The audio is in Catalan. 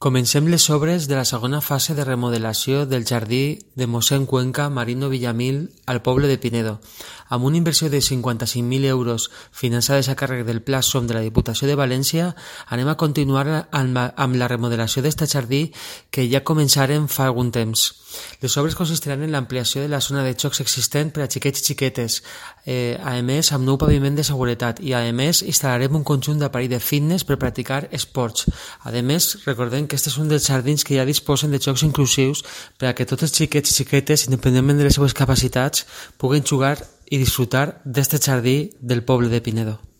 Comencem les obres de la segona fase de remodelació del jardí de mossèn Cuenca Marino Villamil al poble de Pinedo. Amb una inversió de 55.000 euros finançades a càrrec del Pla SOM de la Diputació de València, anem a continuar amb la remodelació d'este jardí que ja començaren fa algun temps. Les obres consistiran en l'ampliació de la zona de jocs existent per a xiquets i xiquetes, a més amb nou paviment de seguretat i a més instal·larem un conjunt d'aparell de fitness per practicar esports. A més, recordem que este és un dels jardins que ja disposen de jocs inclusius per a que tots els xiquets i xiquetes, independentment de les seues capacitats, puguen jugar i disfrutar d'este jardí del poble de Pinedo.